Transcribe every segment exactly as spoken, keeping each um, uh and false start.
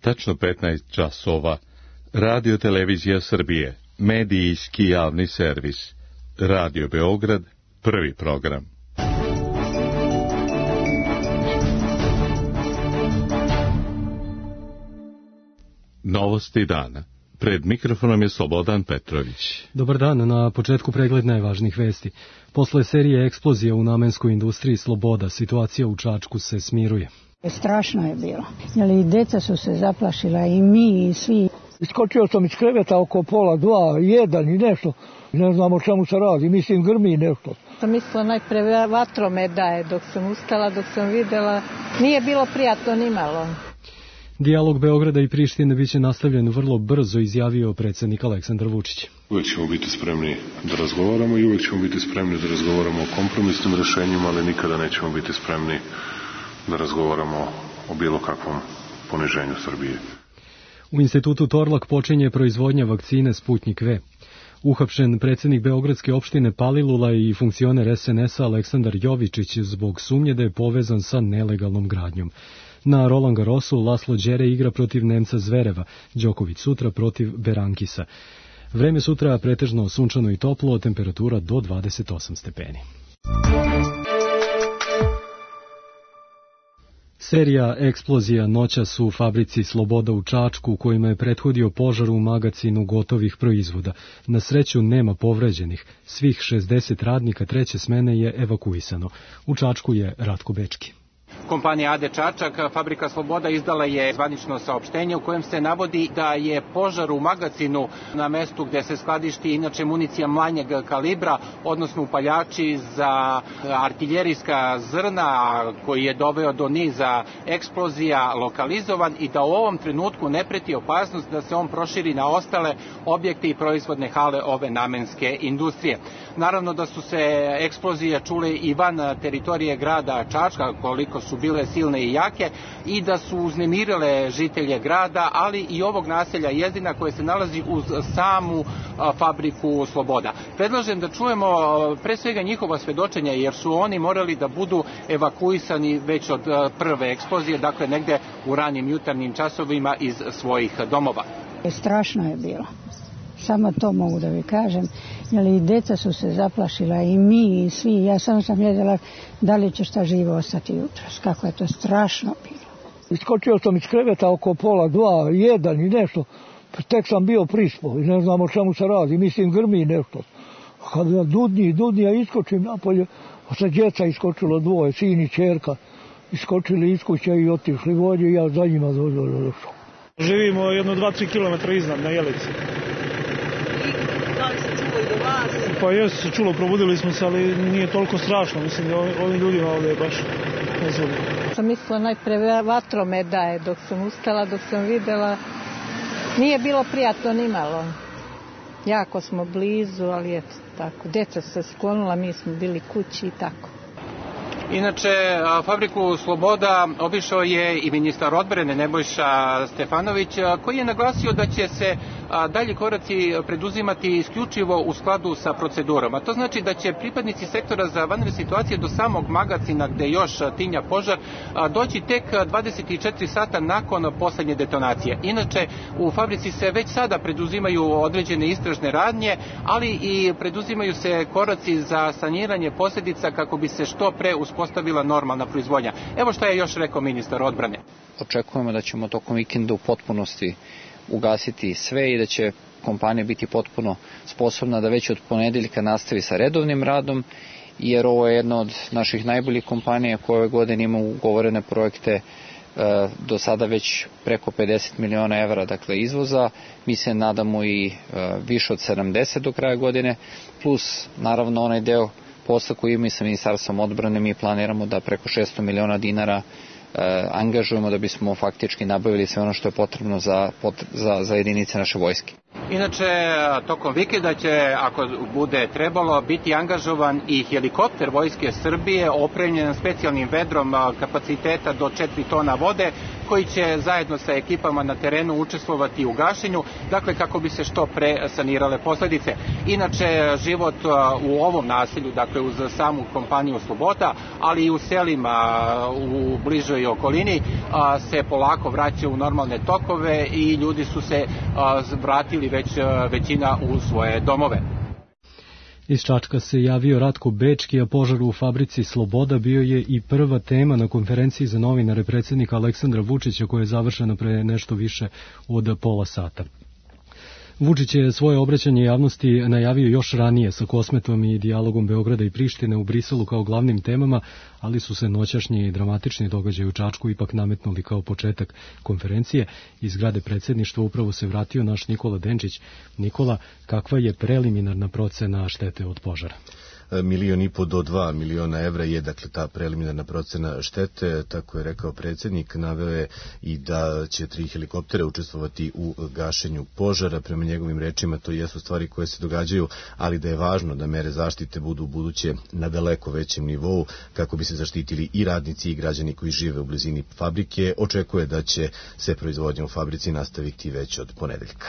tačno petnaest časova, Radio Televizija Srbije, medijski javni servis, Radio Beograd, prvi program. Novosti dana. Pred mikrofonom je Slobodan Petrović. Dobar dan, na početku pregled najvažnijih vesti. Posle serije eksplozija u namenskoj industriji Sloboda, situacija u Čačku se smiruje. Strašno je bilo, jer i deca su se zaplašila, i mi, i svi. Iskočio sam iz kreveta oko pola dva, jedan i nešto. Ne znam o čemu se radi, mislim grmi nešto. Sam mislila najpre vatrome daje dok sam ustala, dok sam videla. Nije bilo prijatno ni malo. Dijalog Beograda i Prištine biće nastavljen vrlo brzo, izjavio predsjednik Aleksandar Vučić. Uvijek ćemo biti spremni da razgovaramo i uvijek ćemo biti spremni da razgovaramo o kompromisnim rješenjima, ali nikada nećemo biti spremni da razgovaramo o bilo kakvom poniženju Srbije. U institutu Torlak počinje proizvodnja vakcine Sputnjik V. Uhapšen predsjednik Beogradske opštine Palilula i funkcioner es en es a Aleksandar Jovičić zbog sumnje da je povezan sa nelegalnom gradnjom. Na Roland Garrosu Laslo Đere igra protiv Nemca Zvereva, Đoković sutra protiv Berankisa. Vreme sutra pretežno sunčano i toplo, temperatura do dvadeset osam stepeni. Serija eksplozija noćas u fabrici Sloboda u Čačku, kojima je prethodio požar u magacinu gotovih proizvoda. Na sreću nema povređenih. Svih šezdeset radnika treće smene je evakuisano. U Čačku je Ratko Bečki. Kompanija A D Čačak, fabrika Sloboda, izdala je zvanično saopštenje u kojem se navodi da je požar u magacinu na mestu gde se skladišti inače municija manjeg kalibra, odnosno upaljači za artiljerijska zrna, koji je doveo do niza eksplozija, lokalizovan i da u ovom trenutku ne preti opasnost da se on proširi na ostale objekte i proizvodne hale ove namenske industrije. Naravno da su se eksplozije čule i van teritorije grada Čačka, koliko su bile silne i jake, i da su uznemirile žitelje grada, ali i ovog naselja Jezdina koje se nalazi uz samu fabriku Sloboda. Predlažem da čujemo pre svega njihova svedočenja, jer su oni morali da budu evakuisani već od prve eksplozije, dakle negde u ranim jutarnjim časovima iz svojih domova. Strašno je bilo. Samo to mogu da vi kažem, jer i deca su se zaplašila, i mi, i svi. Ja sam sam gledala da li će šta živo ostati jutros. Kako je to strašno bilo. Iskočio sam iz kreveta oko pola dva, jedan i nešto. Tek sam bio prispo i ne znam o čemu se radi, mislim grmi nešto. Kad dudnji, dudnji, ja iskočim napolje, sa djeca iskočilo dvoje, sin i čerka. Iskočili iz kuće i otišli vođe i ja za njima došao. Živimo jedno dva, tri kilometra iznad na Jelici. Pa jesu se čulo, probudili smo se, ali nije toliko strašno. Mislim da ovim ljudima ovdje je baš nezgodno. Sam mislila najpre vatrome daje dok sam ustala, dok sam videla. Nije bilo prijatno ni malo. Jako smo blizu, ali eto tako. Deca su se sklonila, mi smo bili kući i tako. Inače, fabriku Sloboda obišao je i ministar odbrane Nebojša Stefanović, koji je naglasio da će se dalji koraci preduzimati isključivo u skladu sa procedurama. To znači da će pripadnici sektora za vanredne situacije do samog magacina gde još tinja požar doći tek dvadeset četiri sata nakon poslednje detonacije. Inače, u fabrici se već sada preduzimaju određene istražne radnje, ali i preduzimaju se koraci za saniranje posljedica kako bi se što pre uspostavila normalna proizvodnja. Evo šta je još rekao ministar odbrane. Očekujemo da ćemo tokom vikenda u potpunosti ugasiti sve i da će kompanija biti potpuno sposobna da već od ponedeljka nastavi sa redovnim radom, jer ovo je jedna od naših najboljih kompanija koja ove godine ima ugovorene projekte e, do sada već preko pedeset miliona evra, dakle izvoza. Mi se nadamo i e, više od sedamdeset do kraja godine, plus naravno onaj deo posla koji ima i sa Ministarstvom odbrane. Mi planiramo da preko šesto miliona dinara e, angažujemo da bismo faktički nabavili sve ono što je potrebno za, za, za jedinice naše vojske. Inače, tokom vikenda će, ako bude trebalo, biti angažovan i helikopter Vojske Srbije opremljen specijalnim vedrom kapaciteta do četiri tona vode, koji će zajedno sa ekipama na terenu učestvovati u gašenju, dakle kako bi se što pre sanirale posledice. Inače, život u ovom naselju, dakle uz samu kompaniju Sloboda, ali i u selima u bližoj okolini se polako vraća u normalne tokove i ljudi su se vratili već većina u svoje domove. Iz Čačka se javio Ratko Bečki, a požar u fabrici Sloboda bio je i prva tema na konferenciji za novinare predsjednika Aleksandra Vučića, koja je završena pre nešto više od pola sata. Vučić je svoje obraćanje javnosti najavio još ranije sa Kosmetom i dijalogom Beograda i Prištine u Briselu kao glavnim temama, ali su se noćašnji i dramatični događaji u Čačku ipak nametnuli kao početak konferencije. Iz zgrade predsjedništva upravo se vratio naš Nikola Denčić. Nikola, kakva je preliminarna procena štete od požara? Milion i po do dva miliona evra je dakle ta preliminarna procena štete, tako je rekao predsjednik. Naveo je i da će tri helikoptera učestvovati u gašenju požara. Prema njegovim rečima to jesu stvari koje se događaju, ali da je važno da mere zaštite budu u buduće na daleko većem nivou kako bi se zaštitili i radnici i građani koji žive u blizini fabrike. Očekuje da će se proizvodnja u fabrici nastaviti već od ponedeljka.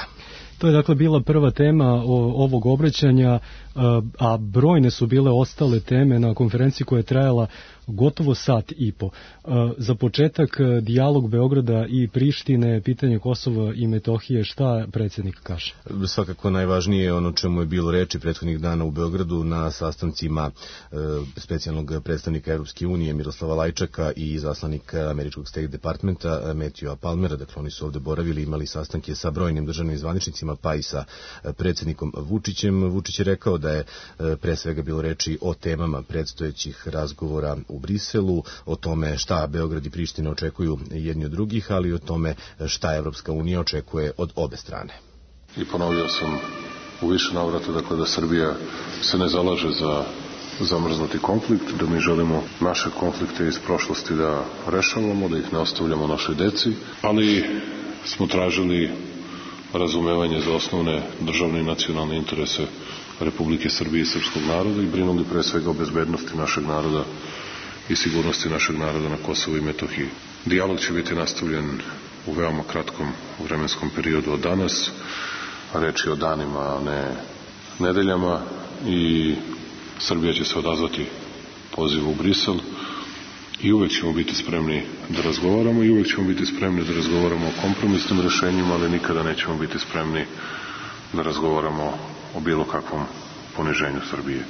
To je dakle bila prva tema ovog obraćanja, a brojne su bile ostale teme na konferenciji koja je trajala gotovo sat i po. Za početak, dijalog Beograda i Prištine, pitanje Kosova i Metohije, šta predsjednik kaže? Svakako najvažnije je ono čemu je bilo reči prethodnih dana u Beogradu na sastancima specijalnog predstavnika Evropske unije Miroslava Lajčaka i izaslanika američkog State Departmenta Matthewa Palmera. Dakle, oni su ovde boravili, imali sastanke sa brojnim državnim zvaničnicima, pa i sa predsjednikom Vučićem. Vučić je rekao da je pre svega bilo reči o temama predstojećih razgovora u Briselu, o tome šta Beograd i Priština očekuju jedni od drugih, ali i o tome šta Evropska unija očekuje od obe strane. I ponovio sam u više navrata, dakle, da Srbija se ne zalaže za zamrznuti konflikt, da mi želimo naše konflikte iz prošlosti da rešavamo, da ih ne ostavljamo našoj deci, ali smo tražili razumevanje za osnovne državne i nacionalne interese Republike Srbije i srpskog naroda i brinuli pre svega o bezbednosti našeg naroda i sigurnosti našeg naroda na Kosovu i Metohiji. Dijalog će biti nastavljen u veoma kratkom vremenskom periodu od danas, a reč je o danima, a ne nedeljama, i Srbija će se odazvati pozivu u Brisel i uvek ćemo biti spremni da razgovaramo i uvek ćemo biti spremni da razgovaramo o kompromisnim rešenjima, ali nikada nećemo biti spremni da razgovaramo o bilo kakvom poniženju Srbije.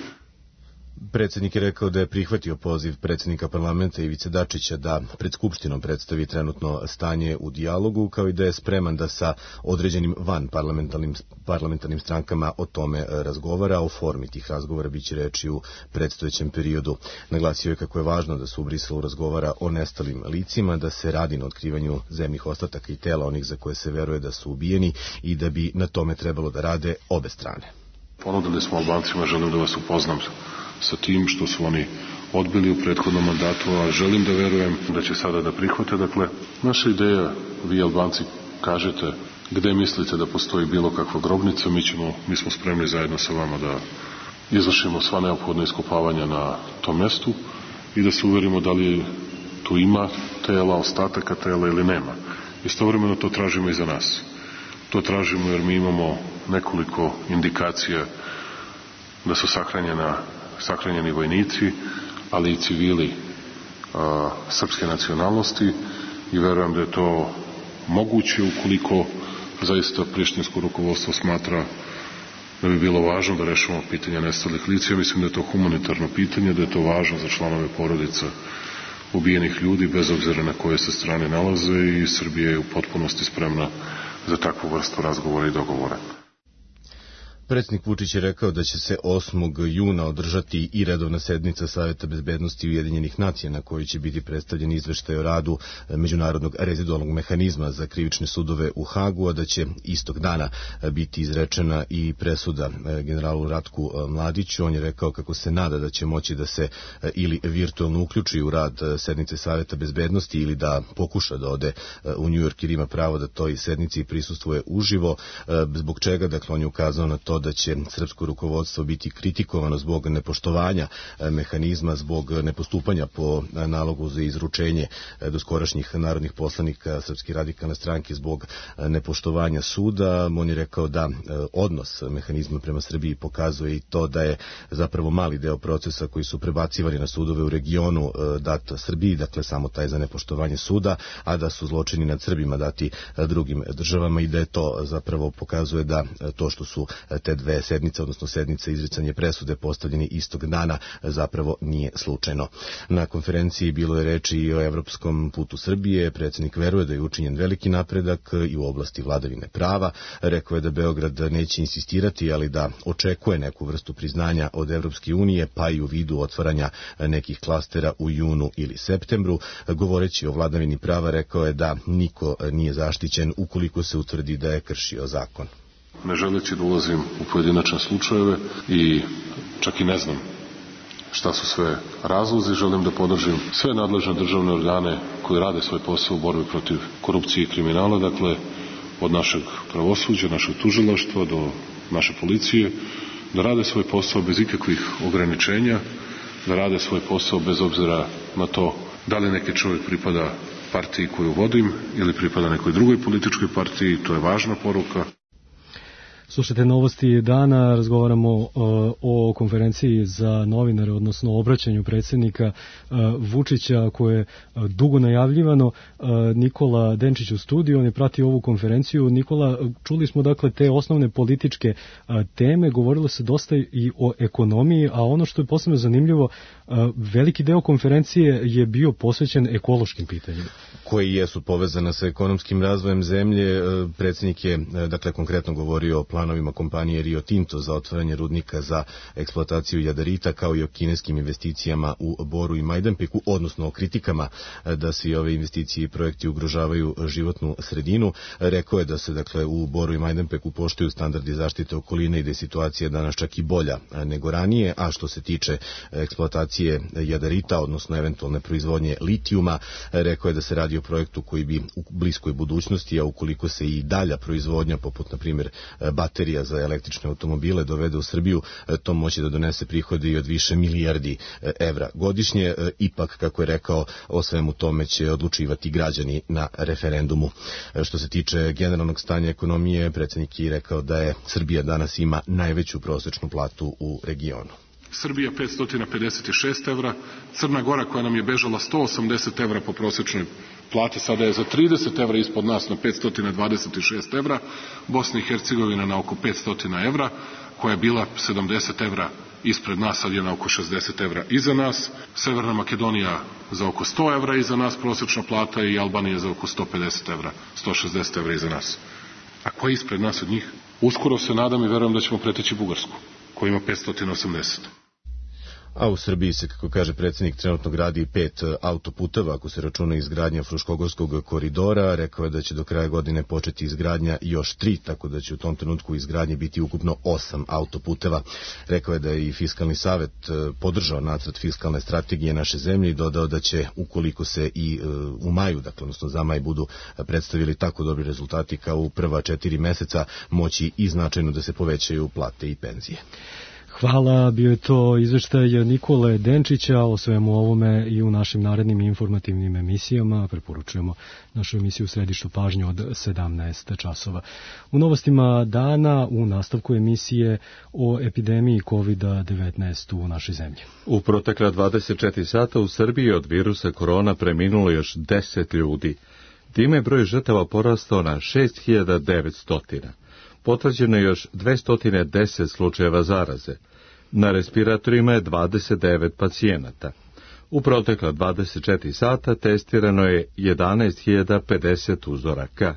Predsjednik je rekao da je prihvatio poziv predsjednika parlamenta Ivice Dačića da pred Skupštinom predstavi trenutno stanje u dijalogu, kao i da je spreman da sa određenim van parlamentarnim, parlamentarnim strankama o tome razgovara. O formi tih razgovora biće reči u predstojećem periodu. Naglasio je kako je važno da se u Briselu razgovara o nestalim licima, da se radi na otkrivanju zemnih ostataka i tela onih za koje se veruje da su ubijeni i da bi na tome trebalo da rade obe strane. Ponudili smo Albancima, želim da vas upoznam sa tim što su oni odbili u prethodnom mandatu, a želim da verujem da će sada da prihvate. Dakle, naša ideja, vi Albanci kažete gde mislite da postoji bilo kakva grobnica, mi, ćemo, mi smo spremni zajedno sa vama da izvršimo sva neophodna iskopavanja na tom mjestu i da se uverimo da li tu ima tela, ostataka tela ili nema. Istovremeno to tražimo i za nas. To tražimo jer mi imamo nekoliko indikacija da su sahranjena sahranjeni vojnici, ali i civili a, srpske nacionalnosti i verujem da je to moguće ukoliko zaista prištinsko rukovodstvo smatra da bi bilo važno da rešimo pitanje nestalih lica. Ja mislim da je to humanitarno pitanje, da je to važno za članove porodica ubijenih ljudi, bez obzira na koje se strane nalaze, i Srbija je u potpunosti spremna za takvu vrstu razgovora i dogovora. Predsjednik Vučić je rekao da će se osmog juna održati i redovna sednica Saveta bezbednosti Ujedinjenih nacija na kojoj će biti predstavljen izveštaj o radu Međunarodnog rezidualnog mehanizma za krivične sudove u Hagu, a da će istog dana biti izrečena i presuda generalu Ratku Mladiću. On je rekao kako se nada da će moći da se ili virtualno uključi u rad sednice Saveta bezbednosti ili da pokuša da ode u Njujork jer ima pravo da toj sednici prisustvuje uživo, zbog čega, dakle, on je ukazao na to to da će srpsko rukovodstvo biti kritikovano zbog nepoštovanja mehanizma, zbog nepostupanja po nalogu za izručenje doskorašnjih narodnih poslanika Srpske radikalne stranke zbog nepoštovanja suda. On je rekao da odnos mehanizma prema Srbiji pokazuje i to da je zapravo mali deo procesa koji su prebacivani na sudove u regionu dat Srbiji, dakle samo taj za nepoštovanje suda, a da su zločini nad Srbima dati drugim državama i da je to zapravo pokazuje da to što su te dve sednice, odnosno sednice izricanje presude postavljeni istog dana zapravo nije slučajno. Na konferenciji bilo je reči i o evropskom putu Srbije. Predsjednik veruje da je učinjen veliki napredak i u oblasti vladavine prava. Rekao je da Beograd neće insistirati, ali da očekuje neku vrstu priznanja od Evropske unije, pa i u vidu otvaranja nekih klastera u junu ili septembru. Govoreći o vladavini prava, rekao je da niko nije zaštićen ukoliko se utvrdi da je kršio zakon. Ne želeći da ulazim u pojedinačne slučajeve i čak i ne znam šta su sve razlozi, želim da podržim sve nadležne državne organe koji rade svoj posao u borbi protiv korupcije i kriminala, dakle od našeg pravosuđa, našeg tužilaštva do naše policije, da rade svoj posao bez ikakvih ograničenja, da rade svoj posao bez obzira na to da li neki čovjek pripada partiji koju vodim ili pripada nekoj drugoj političkoj partiji. To je važna poruka. Slušajte novosti dana, razgovaramo uh, o konferenciji za novinare, odnosno obraćanju predsjednika uh, Vučića koje je uh, dugo najavljivano. Uh, Nikola Denčić u studiju, on je pratio ovu konferenciju. Nikola, čuli smo dakle te osnovne političke uh, teme, govorilo se dosta i o ekonomiji, a ono što je posebno zanimljivo, uh, veliki deo konferencije je bio posvećen ekološkim pitanjima. Koji jesu povezana sa ekonomskim razvojem zemlje. Uh, predsjednik je, uh, dakle, konkretno govorio o planovima kompanije Rio Tinto za otvaranje rudnika za eksploataciju jadarita, kao i o kineskim investicijama u Boru i Majdanpeku, odnosno o kritikama da se i ove investicije i projekti ugrožavaju životnu sredinu. Rekao je da se dakle u Boru i Majdanpeku poštuju standardi zaštite okoline i da je situacija danas čak i bolja nego ranije, a što se tiče eksploatacije jadarita, odnosno eventualne proizvodnje litijuma, rekao je da se radi o projektu koji bi u bliskoj budućnosti, a ukoliko se i dalja proizvodnja, poput na primjer baterija za električne automobile dovede u Srbiju, to moći da donese prihode i od više milijardi evra godišnje. Ipak, kako je rekao, o svemu tome će odlučivati građani na referendumu. Što se tiče generalnog stanja ekonomije, predsjednik je rekao da je Srbija danas ima najveću prosječnu platu u regionu. Srbija petsto pedeset šest evra, Crna Gora koja nam je bežala sto osamdeset evra po prosječnoj plati, sada je za trideset evra ispod nas na petsto dvadeset šest evra, Bosna i Hercegovina na oko petsto evra, koja je bila sedamdeset evra ispred nas, sad je na oko šezdeset evra iza nas, Severna Makedonija za oko sto evra iza nas prosječna plata i Albanija za oko sto pedeset evra, sto šezdeset evra iza nas. A ko je ispred nas od njih? Uskoro se nadam i verujem da ćemo preteći Bugarsku, koja ima petsto osamdeset. A u Srbiji se, kako kaže predsjednik, trenutno gradi pet autoputeva, ako se računa izgradnja Fruškogorskog koridora. Rekao je da će do kraja godine početi izgradnja još tri, tako da će u tom trenutku izgradnje biti ukupno osam autoputeva. Rekao je da je i Fiskalni savet podržao nacrt fiskalne strategije naše zemlje i dodao da će, ukoliko se i u maju, dakle, odnosno za maj, budu predstavili tako dobri rezultati kao u prva četiri meseca, moći i značajno da se povećaju plate i penzije. Hvala, bio je to izveštaj Nikole Denčića o svemu ovome i u našim narednim informativnim emisijama. Preporučujemo našu emisiju Središtu pažnje od sedamnaest časova. U novostima dana u nastavku emisije o epidemiji kovid devetnaest u našoj zemlji. U protekla dvadeset četiri sata u Srbiji od virusa korona preminulo još deset ljudi. Time je broj žrtava porastao na šest hiljada devetsto. Potvrđeno je još dvesta deset slučajeva zaraze. Na respiratorima je dvadeset devet pacijenata. U protekla dvadeset četiri sata testirano je jedanaest hiljada pedeset uzoraka.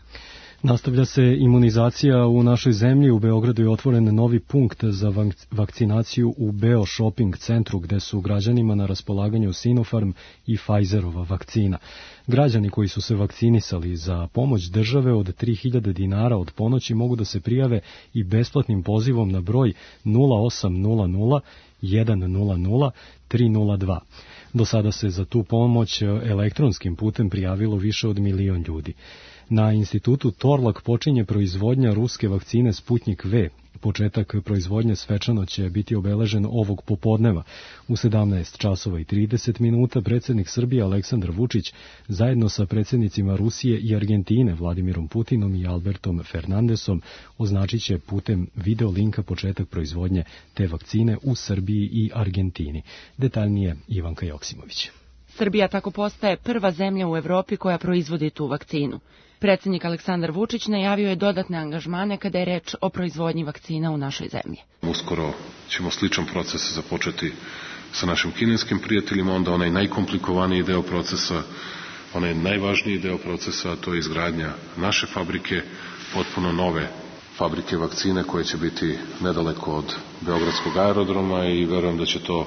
Nastavlja se imunizacija u našoj zemlji. U Beogradu je otvoren novi punkt za vakcinaciju u Beo Shopping centru, gde su građanima na raspolaganju Sinopharm i Pfizerova vakcina. Građani koji su se vakcinisali za pomoć države od tri hiljade dinara od ponoći mogu da se prijave i besplatnim pozivom na broj nula osam nula nula jedan nula nula tri nula dva. Do sada se za tu pomoć elektronskim putem prijavilo više od milion ljudi. Na institutu Torlak počinje proizvodnja ruske vakcine Sputnik V. Početak proizvodnje svečano će biti obeležen ovog popodneva. U sedamnaest časova i trideset minuta predsjednik Srbije Aleksandar Vučić zajedno sa predsjednicima Rusije i Argentine Vladimirom Putinom i Albertom Fernandesom označit će putem video linka početak proizvodnje te vakcine u Srbiji i Argentini. Detaljnije Ivanka Joksimović. Srbija tako postaje prva zemlja u Evropi koja proizvodi tu vakcinu. Predsjednik Aleksandar Vučić najavio je dodatne angažmane kada je reč o proizvodnji vakcina u našoj zemlji. Uskoro ćemo sličan proces započeti sa našim kineskim prijateljima, onda onaj najkomplikovaniji deo procesa, onaj najvažniji deo procesa, a to je izgradnja naše fabrike, potpuno nove fabrike vakcine koje će biti nedaleko od Beogradskog aerodroma i verujem da će to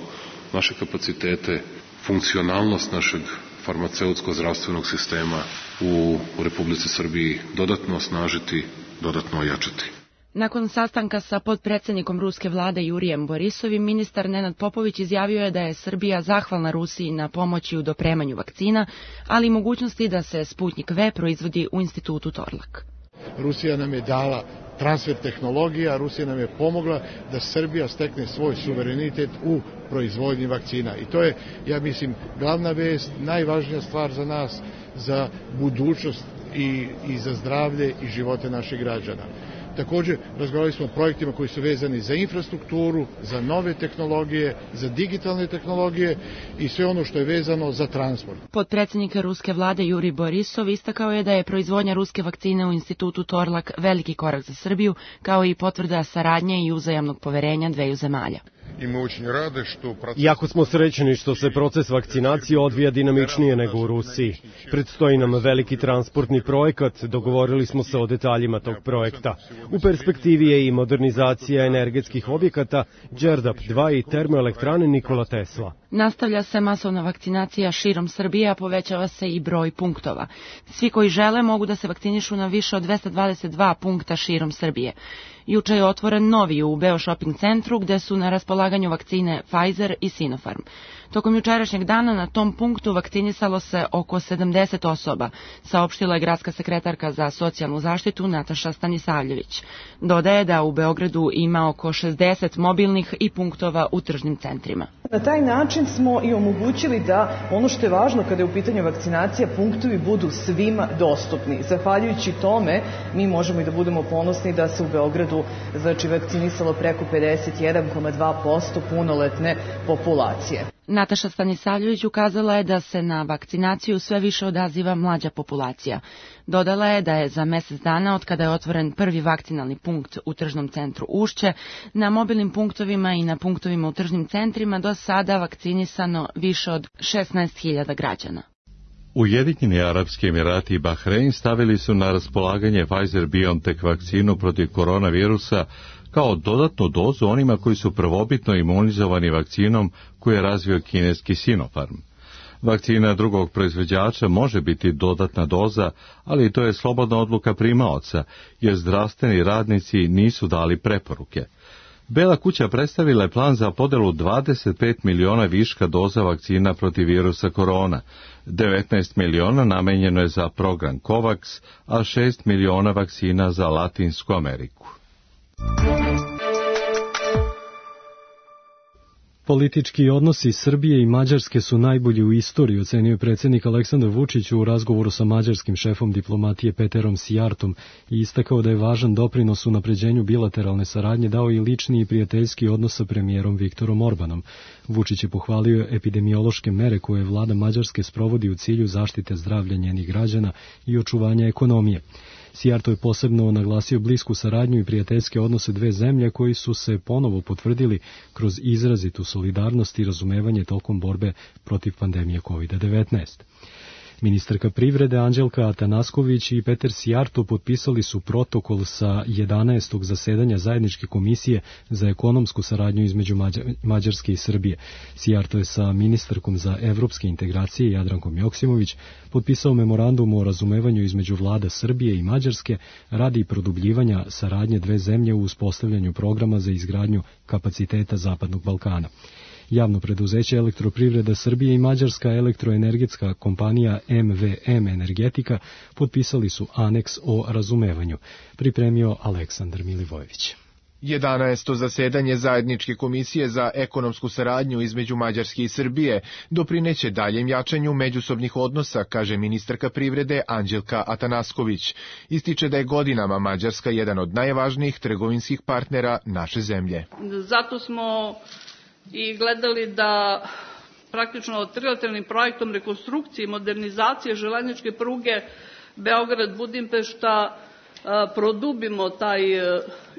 naše kapacitete, funkcionalnost našeg farmaceutsko-zdravstvenog sistema u, u Republici Srbiji dodatno osnažiti, dodatno ojačati. Nakon sastanka sa potpredsjednikom ruske vlade Jurijem Borisovim, ministar Nenad Popović izjavio je da je Srbija zahvalna Rusiji na pomoći u dopremanju vakcina, ali i mogućnosti da se Sputnik V proizvodi u institutu Torlak. Rusija nam je dala transfer tehnologija, Rusija nam je pomogla da Srbija stekne svoj suverenitet u proizvodnji vakcina. I to je, ja mislim, glavna vest, najvažnija stvar za nas, za budućnost i, i za zdravlje i živote naših građana. Također, razgovarali smo o projektima koji su vezani za infrastrukturu, za nove tehnologije, za digitalne tehnologije i sve ono što je vezano za transport. Potpredsjednik ruske vlade Jurij Borisov istakao je da je proizvodnja ruske vakcine u institutu Torlak veliki korak za Srbiju, kao i potvrda saradnje i uzajamnog poverenja dveju zemalja. Jako smo srećni što se proces vakcinacije odvija dinamičnije nego u Rusiji. Predstoji nam veliki transportni projekat, dogovorili smo se o detaljima tog projekta. U perspektivi je i modernizacija energetskih objekata, Đerdap dva i termoelektrane Nikola Tesla. Nastavlja se masovna vakcinacija širom Srbije, a povećava se i broj punktova. Svi koji žele mogu da se vakcinišu na više od dvesta dvadeset dva punkta širom Srbije. Juče je otvoren novi u Beo Shopping centru gde su na raspolaganju vakcine Pfizer i Sinopharm. Tokom jučerašnjeg dana na tom punktu vakcinisalo se oko sedamdeset osoba, saopštila je gradska sekretarka za socijalnu zaštitu Nataša Stanisavljević. Dodaje da u Beogradu ima oko šezdeset mobilnih i punktova u tržnim centrima. Na taj način smo i omogućili da ono što je važno kada je u pitanju vakcinacija, punktovi budu svima dostupni. Zahvaljujući tome mi možemo i da budemo ponosni da se u Beogradu znači vakcinisalo preko pedeset jedan zarez dva posto punoletne populacije. Nataša Stanisavljević ukazala je da se na vakcinaciju sve više odaziva mlađa populacija. Dodala je da je za mjesec dana od kada je otvoren prvi vakcinalni punkt u tržnom centru Ušće, na mobilnim punktovima i na punktovima u tržnim centrima do sada vakcinisano više od šesnaest hiljada građana. Ujedinjeni Arapski Emirati i Bahrein stavili su na raspolaganje Pfizer-BioNTech vakcinu protiv koronavirusa kao dodatnu dozu onima koji su prvobitno imunizovani vakcinom koju je razvio kineski Sinopharm. Vakcina drugog proizvođača može biti dodatna doza, ali to je slobodna odluka primaoca, jer zdravstveni radnici nisu dali preporuke. Bela kuća predstavila je plan za podelu dvadeset pet miliona viška doza vakcina protiv virusa korona. devetnaest miliona namenjeno je za program COVAX, a šest miliona vakcina za Latinsku Ameriku. Politički odnosi Srbije i Mađarske su najbolji u istoriji, ocenio je predsjednik Aleksandar Vučić u razgovoru sa mađarskim šefom diplomatije Peterom Sijartom i istakao da je važan doprinos u napređenju bilateralne saradnje dao i lični i prijateljski odnos sa premijerom Viktorom Orbanom. Vučić je pohvalio epidemiološke mere koje vlada Mađarske sprovodi u cilju zaštite zdravlja njenih građana i očuvanja ekonomije. Sijarto je posebno naglasio blisku saradnju i prijateljske odnose dve zemlje koji su se ponovo potvrdili kroz izrazitu solidarnost i razumevanje tokom borbe protiv pandemije kovid devetnaest. Ministarka privrede Anđelka Atanasković i Peter Sijarto potpisali su protokol sa jedanaestog zasedanja zajedničke komisije za ekonomsku saradnju između Mađarske i Srbije. Sijarto je sa ministarkom za evropske integracije Jadrankom Joksimović potpisao memorandum o razumevanju između vlada Srbije i Mađarske radi produbljivanja saradnje dve zemlje u uspostavljanju programa za izgradnju kapaciteta Zapadnog Balkana. Javno preduzeće Elektroprivreda Srbije i Mađarska elektroenergetska kompanija M V M Energetika potpisali su aneks o razumevanju. Pripremio Aleksandar Milivojević. jedanaesto zasedanje Zajedničke komisije za ekonomsku saradnju između Mađarske i Srbije doprineće daljem jačanju međusobnih odnosa, kaže ministarka privrede Anđelka Atanasković. Ističe da je godinama Mađarska jedan od najvažnijih trgovinskih partnera naše zemlje. Zato smo i gledali da praktično trilateralnim projektom rekonstrukcije i modernizacije železničke pruge Beograd-Budimpešta produbimo taj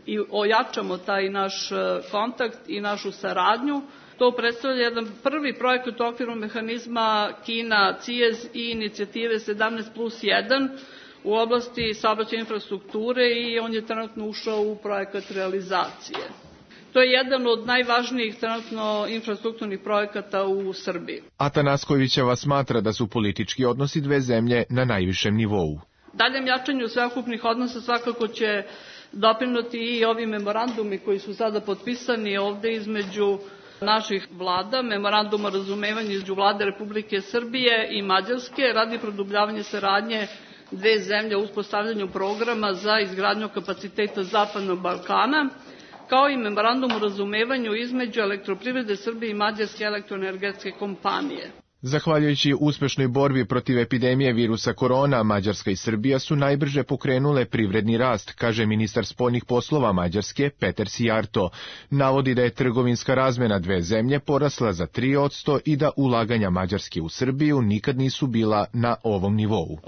i ojačamo taj naš kontakt i našu saradnju. To predstavlja jedan prvi projekat u okviru mehanizma Kina-C I E S i inicijative sedamnaest plus jedan u oblasti saobraćajne infrastrukture i on je trenutno ušao u projekat realizacije. To je jedan od najvažnijih trenutno infrastrukturnih projekata u Srbiji. Atanaskovićeva smatra da su politički odnosi dve zemlje na najvišem nivou. Daljem jačanju sveukupnih odnosa svakako će doprinuti i ovi memorandumi koji su sada potpisani ovde između naših vlada, memorandum o razumevanju između vlade Republike Srbije i Mađarske radi produbljavanja saradnje dve zemlje u uspostavljanju programa za izgradnju kapaciteta Zapadnog Balkana, kao i memorandum o razumevanju između Elektroprivrede Srbije i Mađarske elektroenergetske kompanije. Zahvaljujući uspešnoj borbi protiv epidemije virusa korona, Mađarska i Srbija su najbrže pokrenule privredni rast, kaže ministar spoljnih poslova Mađarske Peter Sijarto. Navodi da je trgovinska razmena dve zemlje porasla za tri posto i da ulaganja Mađarske u Srbiju nikad nisu bila na ovom nivou.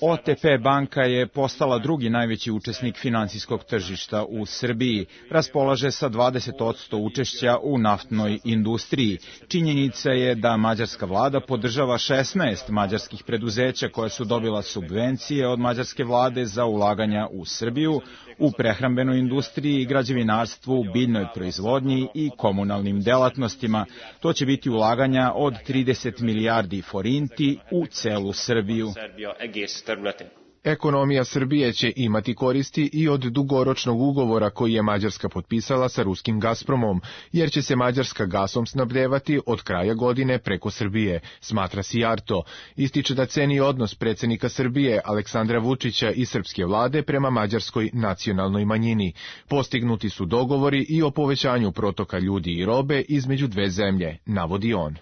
O T P banka je postala drugi najveći učesnik finansijskog tržišta u Srbiji. Raspolaže sa dvadeset posto učešća u naftnoj industriji. Činjenica je da mađarska vlada podržava šesnaest mađarskih preduzeća koja su dobila subvencije od mađarske vlade za ulaganja u Srbiju, u prehrambenoj industriji, građevinarstvu, biljnoj proizvodnji i komunalnim delatnostima. To će biti ulaganja od trideset milijardi forinti u celu Srbiju. Ekonomija Srbije će imati koristi i od dugoročnog ugovora koji je Mađarska potpisala sa ruskim Gazpromom, jer će se Mađarska gasom snabdevati od kraja godine preko Srbije, smatra Sijarto. Ističe da ceni odnos predsjednika Srbije Aleksandra Vučića i srpske vlade prema mađarskoj nacionalnoj manjini. Postignuti su dogovori i o povećanju protoka ljudi i robe između dve zemlje, navodi on.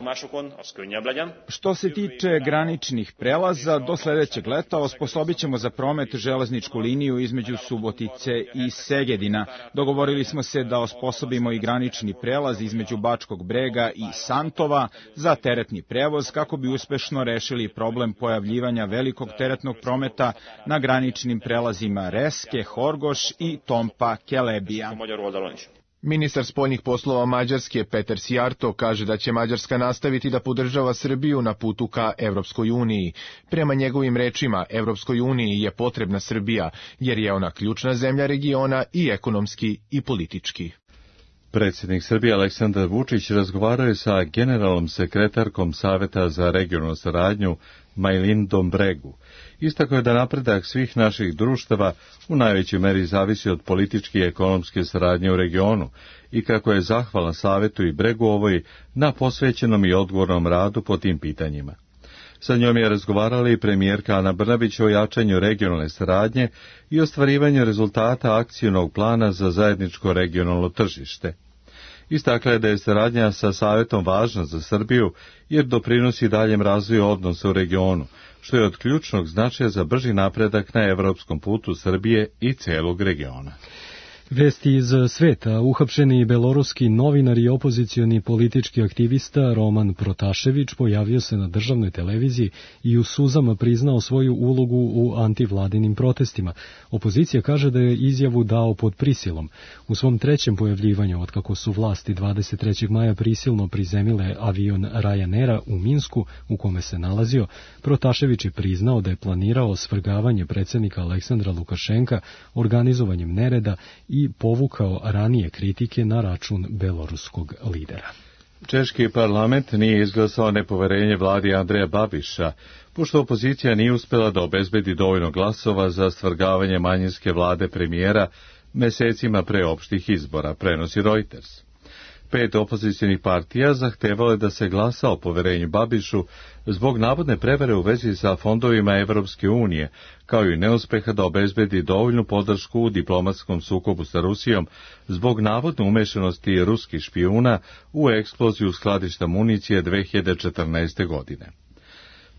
Što se tiče graničnih prelaza, do sledećeg leta osposobit ćemo za promet železničku liniju između Subotice i Segedina. Dogovorili smo se da osposobimo i granični prelaz između Bačkog Brega i Santova za teretni prevoz kako bi uspešno rešili problem pojavljivanja velikog teretnog prometa na graničnim prelazima Reske, Horgoš i Tompa Kelebija. Ministar spoljnih poslova Mađarske Peter Sijarto kaže da će Mađarska nastaviti da podržava Srbiju na putu ka Evropskoj uniji. Prema njegovim rečima, Evropskoj uniji je potrebna Srbija, jer je ona ključna zemlja regiona i ekonomski i politički. Predsjednik Srbije Aleksandar Vučić razgovarao je sa generalnom sekretarkom Saveta za regionalnu saradnju Majlindom Bregu. Istakao je da napredak svih naših društava u najvećoj meri zavisi od političke i ekonomske saradnje u regionu i kako je zahvalan Savetu i Bregu ovoj na posvećenom i odgovornom radu po tim pitanjima. Sa njom je razgovarala i premijerka Ana Brnabić o jačanju regionalne saradnje i ostvarivanju rezultata akcionog plana za zajedničko regionalno tržište. Istakla je da je saradnja sa Savetom važna za Srbiju jer doprinosi daljem razvoju odnosa u regionu, što je od ključnog značaja za brži napredak na evropskom putu Srbije i celog regiona. Vesti iz sveta. Uhapšeni beloruski novinar i opozicioni politički aktivista Roman Protašević pojavio se na državnoj televiziji i u suzama priznao svoju ulogu u antivladinim protestima. Opozicija kaže da je izjavu dao pod prisilom. U svom trećem pojavljivanju, otkako su vlasti dvadeset trećeg maja prisilno prizemile avion Ryanaira u Minsku, u kome se nalazio, Protašević je priznao da je planirao svrgavanje predsjednika Aleksandra Lukašenka organizovanjem nereda i i povukao ranije kritike na račun beloruskog lidera. Češki parlament nije izglasao nepoverenje vladi Andreja Babiša, pošto opozicija nije uspjela da obezbedi dovoljno glasova za svrgavanje manjinske vlade premijera mesecima pre opštih izbora, prenosi Reuters. Pet opozicionih partija zahtevalo je da se glasa o poverenju Babišu zbog navodne prevare u vezi sa fondovima Evropske unije, kao i neuspeha da obezbedi dovoljnu podršku u diplomatskom sukobu sa Rusijom zbog navodne umešanosti ruskih špijuna u eksploziju skladišta municije dve hiljade četrnaeste. godine.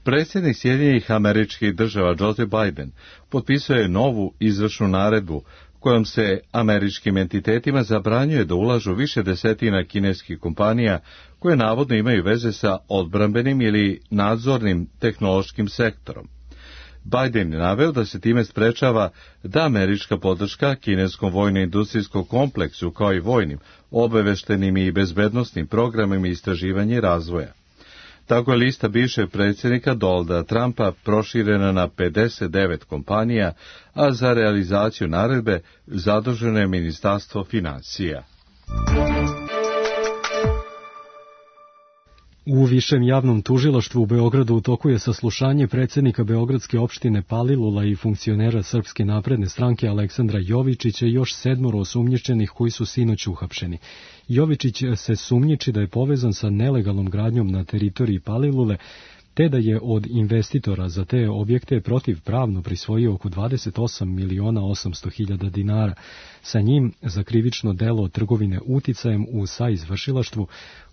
Predsjednik Sjedinjenih Američkih Država Joseph Biden potpisao je novu izvršnu naredbu kojom se američkim entitetima zabranjuje da ulažu više desetina kineskih kompanija koje navodno imaju veze sa odbrambenim ili nadzornim tehnološkim sektorom. Biden je naveo da se time sprečava da američka podrška kineskom vojno-industrijskom kompleksu kao i vojnim, obaveštenim i bezbednosnim programima istraživanja i razvoja. Tako je lista bivšeg predsjednika Donalda Trumpa proširena na pedeset devet kompanija, a za realizaciju naredbe zaduženo je Ministarstvo financija. U Višem javnom tužilaštvu u Beogradu u toku je saslušanje predsjednika Beogradske opštine Palilula i funkcionera Srpske napredne stranke Aleksandra Jovičića i još sedmoro osumnjičenih koji su sinoć uhapšeni. Jovičić se sumnjiči da je povezan sa nelegalnom gradnjom na teritoriji Palilule, te da je od investitora za te objekte protivpravno prisvojio oko dvadeset osam miliona osamsto hiljada dinara. Sa njim za krivično delo trgovine uticajem u saizvršilaštvu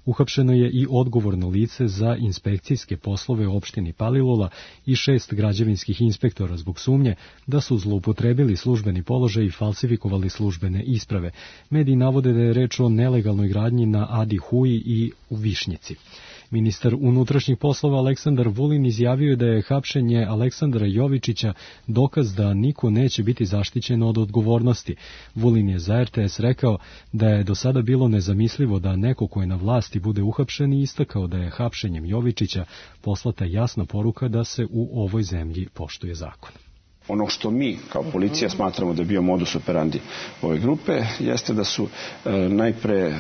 uhapšeno je i odgovorno lice za inspekcijske poslove u opštini Palilula i šest građevinskih inspektora zbog sumnje da su zloupotrebili službeni položaj i falsifikovali službene isprave. Mediji navode da je reč o nelegalnoj gradnji na Adi Huji i u Višnjici. Ministar unutrašnjih poslova Aleksandar Vulin izjavio je da je hapšenje Aleksandra Jovičića dokaz da niko neće biti zaštićen od odgovornosti. Vulin je za R T S rekao da je do sada bilo nezamislivo da neko ko je na vlasti bude uhapšen i istakao da je hapšenjem Jovičića poslata jasna poruka da se u ovoj zemlji poštuje zakon. Ono što mi kao policija smatramo da je bio modus operandi ove grupe jeste da su e, najpre e,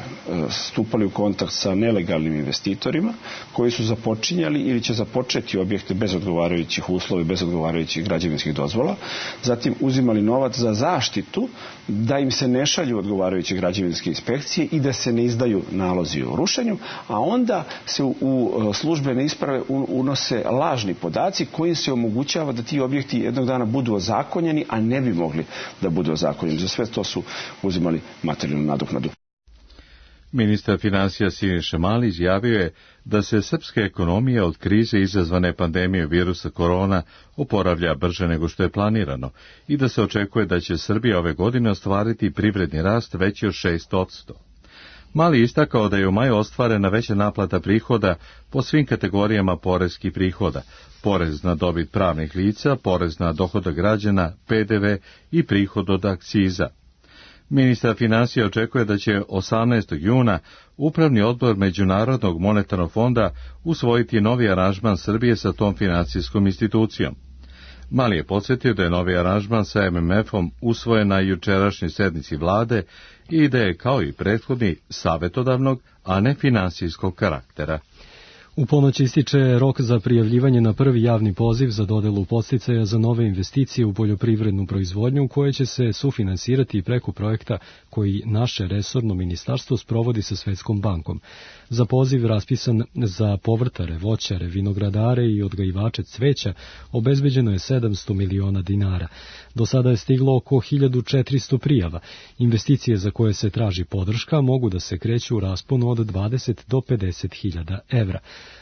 stupali u kontakt sa nelegalnim investitorima koji su započinjali ili će započeti objekte bez odgovarajućih uslova i bez odgovarajućih građevinskih dozvola, zatim uzimali novac za zaštitu da im se ne šalju odgovarajuće građevinske inspekcije i da se ne izdaju nalozi o rušenju, a onda se u, u službene isprave unose lažni podaci koji se omogućava da ti objekti jednog dana budu ozakonjeni, a ne bi mogli da budu ozakonjeni. Za sve to su uzimali materijalnu nadoknadu. Ministar financija Siniša Mali izjavio je da se srpska ekonomija od krize izazvane pandemije virusa korona oporavlja brže nego što je planirano i da se očekuje da će Srbija ove godine ostvariti privredni rast veći od šest posto. Mali istakao da je u maju ostvarena veća naplata prihoda po svim kategorijama poreskih prihoda, porez na dobit pravnih lica, porez na dohodak građana, P D V i prihod od akciza. Ministar financija očekuje da će osamnaestog juna Upravni odbor Međunarodnog monetarnog fonda usvojiti novi aranžman Srbije sa tom financijskom institucijom. Mali je podsjetio da je novi aranžman sa M M F-om usvojen na jučerašnjoj sednici vlade i da je kao i prethodni savjetodavnog, a ne finansijskog karaktera. U ponoć ističe rok za prijavljivanje na prvi javni poziv za dodelu podsticaja za nove investicije u poljoprivrednu proizvodnju koje će se sufinansirati preko projekta koji naše resorno ministarstvo sprovodi sa Svetskom bankom. Za poziv raspisan za povrtare, voćare, vinogradare i odgajivače cveća obezbeđeno je sedamsto miliona dinara. Do sada je stiglo oko hiljadu četiristo prijava. Investicije za koje se traži podrška mogu da se kreću u rasponu od dvadeset do pedeset hiljada evra.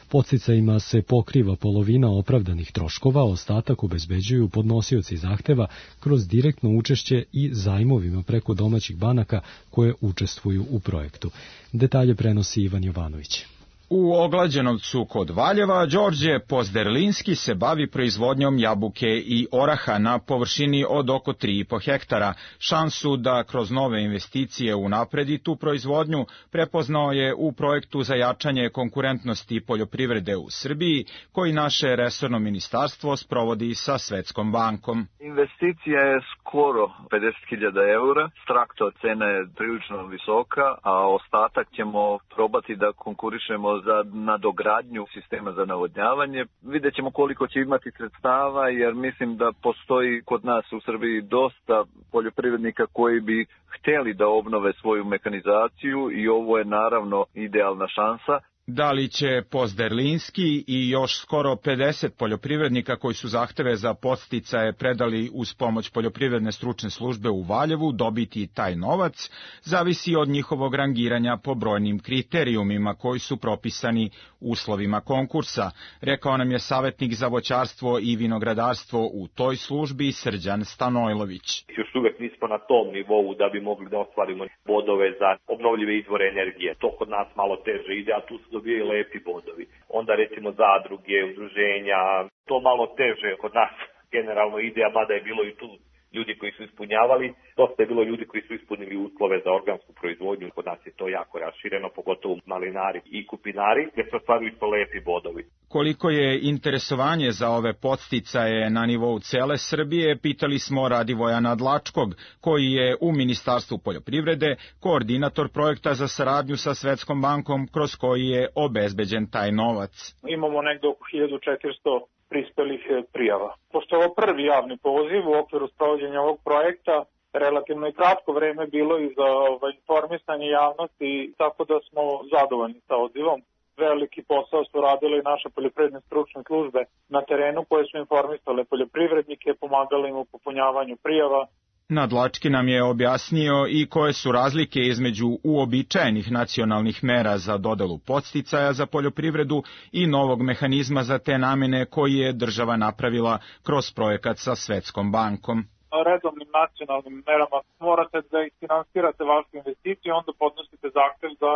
Podsticajima se pokriva polovina opravdanih troškova, ostatak obezbeđuju podnosioci zahteva kroz direktno učešće i zajmovima preko domaćih banaka koje učestvuju u projektu. Detalje prenosi Ivan Jovanović. U Oglađenovcu kod Valjeva Đorđe Pozderlinski se bavi proizvodnjom jabuke i oraha na površini od oko tri i po hektara. Šansu da kroz nove investicije unapredi tu proizvodnju prepoznao je u projektu za jačanje konkurentnosti poljoprivrede u Srbiji, koji naše resorno ministarstvo sprovodi sa Svetskom bankom. Investicija je skoro pedeset hiljada eura, traktor cena je prilično visoka, a ostatak ćemo probati da konkurišemo za nadogradnju sistema za navodnjavanje. Vidjet ćemo koliko će imati sredstava, jer mislim da postoji kod nas u Srbiji dosta poljoprivrednika koji bi htjeli da obnove svoju mehanizaciju i ovo je naravno idealna šansa. Da li će Pozderlinski i još skoro pedeset poljoprivrednika koji su zahteve za podsticaje predali uz pomoć poljoprivredne stručne službe u Valjevu dobiti taj novac, zavisi od njihovog rangiranja po brojnim kriterijumima koji su propisani uslovima konkursa, rekao nam je savjetnik za voćarstvo i vinogradarstvo u toj službi Srđan Stanojlović. Još uvek nismo na tom nivou da bi mogli da ostvarimo bodove za obnovljive izvore energije. To kod nas malo teže ide, a tu su dobijaju lepi bodovi. Onda recimo zadruge, udruženja, to malo teže kod nas generalno ide, a mada je bilo i tu ljudi koji su ispunjavali, dosta je bilo ljudi koji su ispunili uslove za organsku proizvodnju, kod nas je to jako rašireno, pogotovo malinari i kupinari, gdje se ostvaruju to lepi bodovi. Koliko je interesovanje za ove podsticaje na nivou cele Srbije, pitali smo Radivoja Nadlačkog, koji je u Ministarstvu poljoprivrede koordinator projekta za saradnju sa Svetskom bankom, kroz koji je obezbeđen taj novac. Imamo negde oko hiljadu četiristo prispelih prijava. Pošto je ovo prvi javni poziv u okviru sprovođenja ovog projekta, relativno i kratko vreme bilo i za ovaj, informisanje javnosti, tako da smo zadovoljni sa odzivom. Veliki posao su radile i naše poljoprivredne stručne službe na terenu koje su informisale poljoprivrednike, pomagale im u popunjavanju prijava. Nadlački nam je objasnio i koje su razlike između uobičajenih nacionalnih mera za dodelu podsticaja za poljoprivredu i novog mehanizma za te namene koji je država napravila kroz projekat sa Svetskom bankom. Redovnim nacionalnim merama morate da finansirate vašu investiciju, onda podnosite zahtev za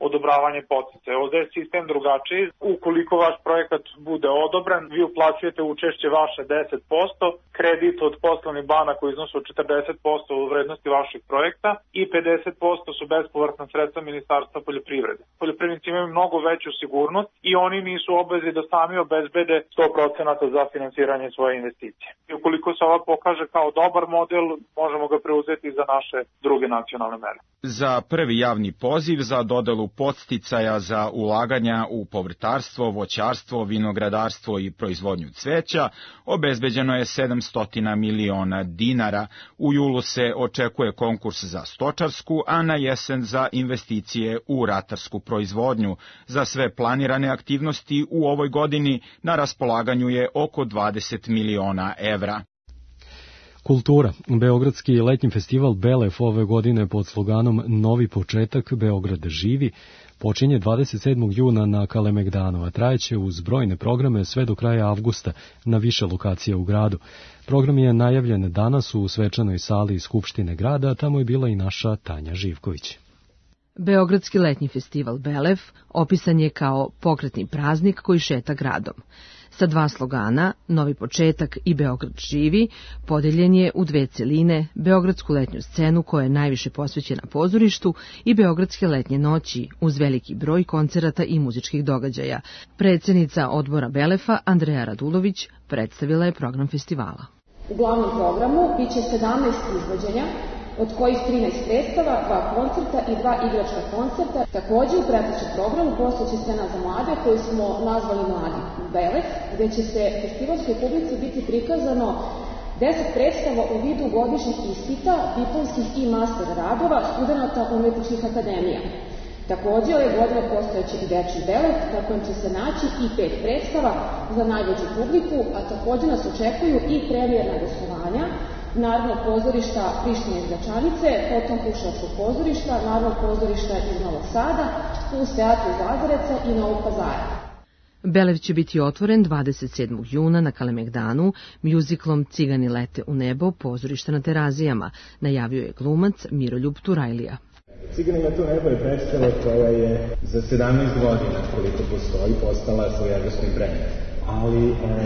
odobravanje podsticaja. Ovdje je sistem drugačiji. Ukoliko vaš projekat bude odobren, vi uplaćujete učešće vaše deset posto, kredit od poslovnih banaka u iznosu od četrdeset posto u vrednosti vašeg projekta i pedeset posto su bespovratna sredstva Ministarstva poljoprivrede. Poljoprivrednici imaju mnogo veću sigurnost i oni nisu obvezni da sami obezbede sto posto za finansiranje svoje investicije. I ukoliko se ova pokaže kao dobar model, možemo ga preuzeti za naše druge nacionalne mere. Za prvi javni poziv za dodelu podsticaja za ulaganja u povrtarstvo, voćarstvo, vinogradarstvo i proizvodnju cveća obezbeđeno je sedamsto miliona dinara. U julu se očekuje konkurs za stočarsku, a na jesen za investicije u ratarsku proizvodnju. Za sve planirane aktivnosti u ovoj godini na raspolaganju je oko dvadeset miliona evra. Kultura. Beogradski letnji festival Belef ove godine pod sloganom Novi početak, Beograd živi, počinje dvadeset sedmog juna na Kalemegdanu, a trajeće uz brojne programe sve do kraja avgusta na više lokacija u gradu. Program je najavljen danas u svečanoj sali Skupštine grada, a tamo je bila i naša Tanja Živković. Beogradski letnji festival Belef opisan je kao pokretni praznik koji šeta gradom. Sa dva slogana, Novi početak i Beograd živi, podeljen je u dve celine, Beogradsku letnju scenu koja je najviše posvećena pozorištu i Beogradske letnje noći uz veliki broj koncerata i muzičkih događaja. Predsjednica odbora Belefa, Andreja Radulović, predstavila je program festivala. U glavnom programu biće sedamnaest izvođenja, od kojih trinaest predstava, dva koncerta i dva igračka koncerta. Također u pratećem programu postojeće scena za mlade koju smo nazvali Mladi Belef, gdje će se festivalskoj publici biti prikazano deset predstava u vidu godišnjih ispita, diplomskih i master radova studenata umetničkih akademija. Također ove godine postojeće i dečji Belef, na kojem će se naći i pet predstava za najveću publiku, a također nas očekuju i premijerna gostovanja Narodnog pozorišta Prištine iz Gračanice, potom Kruševskog pozorišta, Narodnog pozorišta iz Novog Sada, plus teatra iz Lazareca i Novog Pazara. Belef će biti otvoren dvadeset sedmog juna na Kalemegdanu mjuziklom Cigani lete u nebo pozorišta na Terazijama, najavio je glumac Miroljub Turajlija. Cigani lete u nebo je predstava koja je za sedamnaest godina koliko postoji postala svojevrsni brend. Ali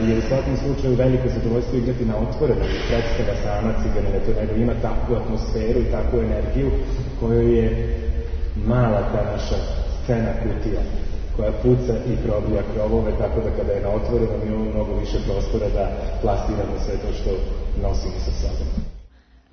je u svakom slučaju veliko zadovoljstvo igrati na otvorenom. Predstava sama Cigani lete u nebo ima takvu atmosferu i takvu energiju kojoj je mala ta naša scena kutija koja puca i probija krovove, tako da kada je na otvorenom imamo mnogo više prostora da plastiramo sve to što nosimo sa sobom.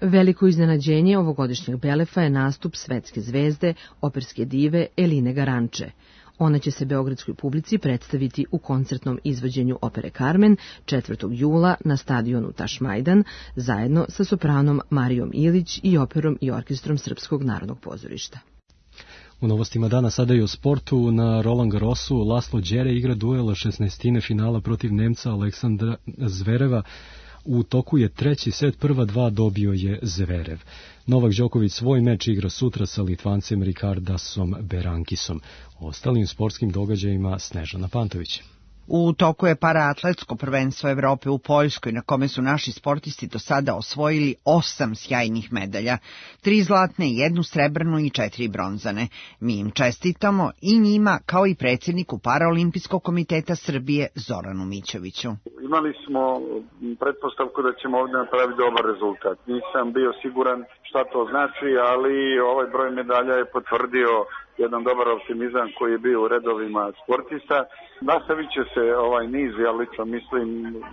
Veliko iznenađenje ovogodišnjeg Belefa je nastup svetske zvezde, operske dive Eline Garanče. Ona će se beogradskoj publici predstaviti u koncertnom izvođenju opere Carmen četvrtog jula na stadionu Tašmajdan zajedno sa sopranom Marijom Ilić i operom i orkestrom Srpskog narodnog pozorišta. U novostima dana sada i o sportu. Na Roland Garrosu Laslo Đere igra duela šesnaestine finala protiv Nemca Aleksandra Zvereva. U toku je treći set, prva dva dobio je Zverev. Novak Đoković svoj meč igra sutra sa Litvancem Rikardasom Berankisom. O ostalim sportskim događajima Snežana Pantović. U toku je paraatletsko prvenstvo Evrope u Poljskoj, na kome su naši sportisti do sada osvojili osam sjajnih medalja, tri zlatne, jednu srebrnu i četiri bronzane. Mi im čestitamo i njima, kao i predsjedniku Paraolimpijskog komiteta Srbije Zoranu Mićoviću. Imali smo pretpostavku da ćemo ovdje napraviti dobar rezultat. Nisam bio siguran šta to znači, ali ovaj broj medalja je potvrdio jedan dobar optimizam koji je bio u redovima sportista. Nastavit će se ovaj niz, ja lično mislim,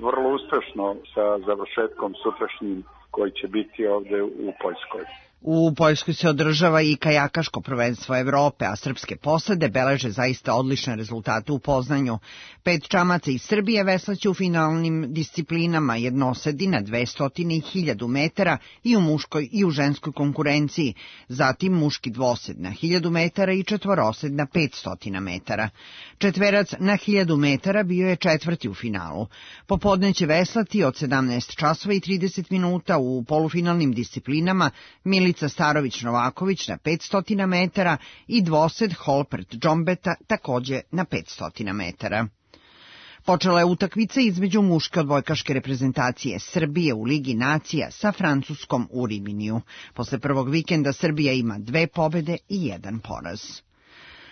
vrlo uspešno sa završetkom sutrašnjim koji će biti ovde u Poljskoj. U Poljskoj se održava i kajakaško prvenstvo Evrope, a srpske posade beleže zaista odlične rezultate u Poznanju. Pet čamaca iz Srbije veslaće u finalnim disciplinama jednosedi na dvesta i hiljadu metara i u muškoj i u ženskoj konkurenciji, zatim muški dvosed na hiljadu metara i četvorosed na petsto metara. Četverac na hiljadu metara bio je četvrti u finalu. Popodne će veslati od sedamnaest časova i trideset minuta u polufinalnim disciplinama Milica Starović-Novaković na petsto metara i dvosed Holpert Džombeta takođe na petsto metara. Počela je utakmica između muške odbojkaške reprezentacije Srbije u Ligi nacija sa Francuskom u Riminiju. Posle prvog vikenda Srbija ima dve pobede i jedan poraz.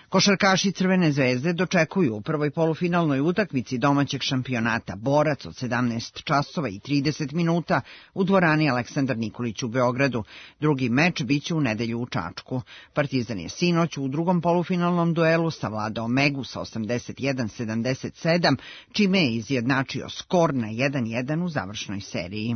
Košarkaši Crvene zvezde dočekuju u prvoj polufinalnoj utakmici domaćeg šampionata Borac od sedamnaest časova i trideset minuta u dvorani Aleksandar Nikolić u Beogradu. Drugi meč biće u nedelju u Čačku. Partizan je sinoć u drugom polufinalnom duelu savladao Megu sa osamdeset jedan sedamdeset sedam, čime je izjednačio skor na jedan jedan u završnoj seriji.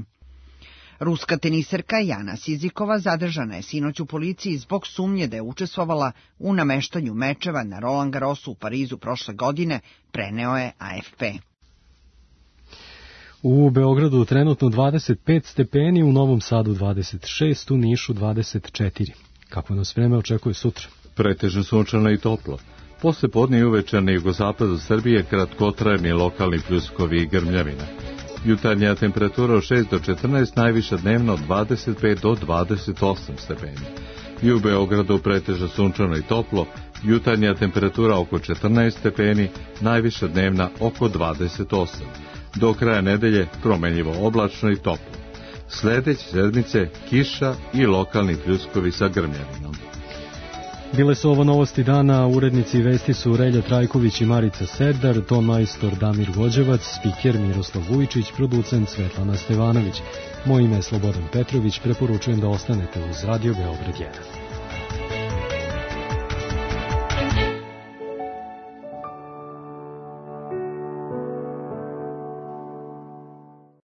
Ruska teniserka Jana Sizikova zadržana je sinoć u policiji zbog sumnje da je učestvovala u nameštanju mečeva na Roland Garrosu u Parizu prošle godine, preneo je A F P. U Beogradu trenutno dvadeset pet stepeni, u Novom Sadu dvadeset šest, u Nišu dvadeset četiri. Kako nas vreme očekuje sutra? Pretežno sunčano i toplo. Posle podne i uveče na jugozapadu Srbije kratkotrajni lokalni pljuskovi i grmljavina. Jutarnja temperatura od šest do četrnaest, najviša dnevna od dvadeset pet do dvadeset osam stepeni. I u Beogradu pretežno sunčano i toplo, jutarnja temperatura oko četrnaest stepeni, najviša dnevna oko dvadeset osam. Do kraja nedelje promenljivo oblačno i toplo. Sledeće sedmice kiša i lokalni pljuskovi sa grmljavinom. Bile su ovo novosti dana, urednici vesti su Relja Trajković i Marica Serdar, ton majstor Damir Vođevac, spiker Miroslav Vujčić, producent Svetlana Stevanović. Moje ime je Slobodan Petrović, preporučujem da ostanete uz Radio Beograd jedan.